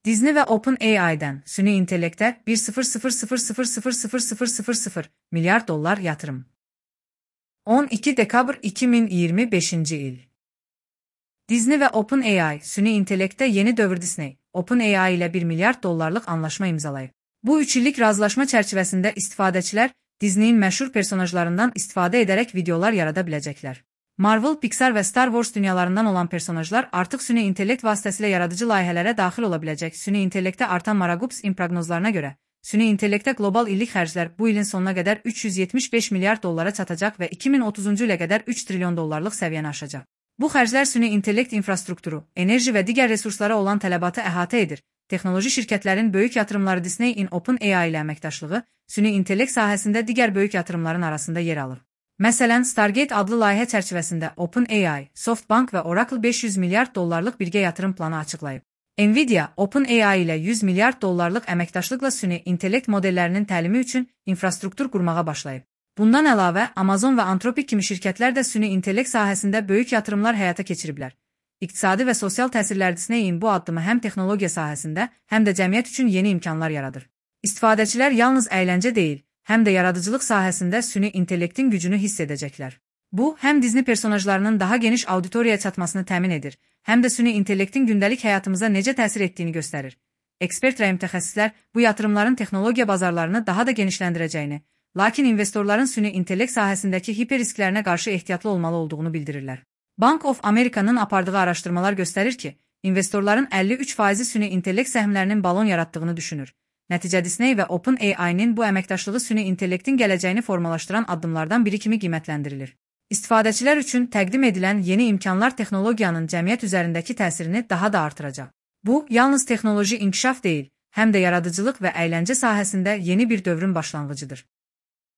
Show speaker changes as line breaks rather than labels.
Disney ve OpenAI'den süni intelekte 1,000,000,000 milyar dolar yatırım. 12 Dekabr 2025 il. Disney ve OpenAI süni intelekte yeni dövr. Disney, OpenAI ile 1 milyar dollarlık anlaşma imzalayıb. Bu 3 illik razılaşma çərçivəsində istifadəçilər Disney'in məşhur personajlarından istifadə edərək videolar yarada biləcəklər. Marvel, Pixar və Star Wars dünyalarından olan personajlar artıq süni intellekt vasitəsilə yaradıcı layihələrə daxil ola biləcək. Süni intellektə artan maraqubs proqnozlarına görə, süni intellektə qlobal illik xərclər bu ilin sonuna qədər 375 milyar dollara çatacaq və 2030-cu ilə qədər 3 trilyon dollarlıq səviyyəni aşacaq. Bu xərclər süni intellekt infrastrukturu, enerji və digər resurslara olan tələbatı əhatə edir. Texnoloji şirkətlərin böyük yatırımları Disney'in OpenAI ilə əməkdaşlığı, süni intellekt sahəsində digər böyük yatırımların arasında yer alır. Məsələn, Stargate adlı layihə çərçivəsində OpenAI, SoftBank və Oracle 500 milyard dollarlıq birgə yatırım planı açıqlayıb. Nvidia, OpenAI ilə 100 milyard dollarlıq əməkdaşlıqla süni intellekt modellərinin təlimi üçün infrastruktur qurmağa başlayıb. Bundan əlavə, Amazon və Anthropic kimi şirkətlər də süni intellekt sahəsində böyük yatırımlar həyata keçiriblər. İqtisadi və sosial təsirlər Disney'in bu addımı həm texnologiya sahəsində, həm də cəmiyyət üçün yeni imkanlar yaradır. İstifadəçilər yalnız əyləncə deyil, həm də yaradıcılıq sahəsində süni intellektin gücünü hiss edəcəklər. Bu, həm Disney personajlarının daha geniş auditoriyaya çatmasını təmin edir, həm də süni intellektin gündəlik həyatımıza necə təsir etdiyini göstərir. Ekspert və mütəxəssislər bu yatırımların texnologiya bazarlarını daha da genişləndirəcəyini, lakin investorların süni intellekt sahəsindəki hiperrisklərinə qarşı ehtiyatlı olmalı olduğunu bildirirlər. Bank of America'nın apardığı araşdırmalar göstərir ki, investorların 53%-i süni intellekt səhmlərinin balon yaratdığını düşünür. Nəticə Disney və OpenAI-nin bu əməkdaşlığı süni intellektin gələcəyini formalaşdıran addımlardan biri kimi qiymətləndirilir. İstifadəçilər üçün təqdim edilən yeni imkanlar texnologiyanın cəmiyyət üzərindəki təsirini daha da artıracaq. Bu, yalnız texnoloji inkişaf deyil, həm də yaradıcılıq və əyləncə sahəsində yeni bir dövrün başlanğıcıdır.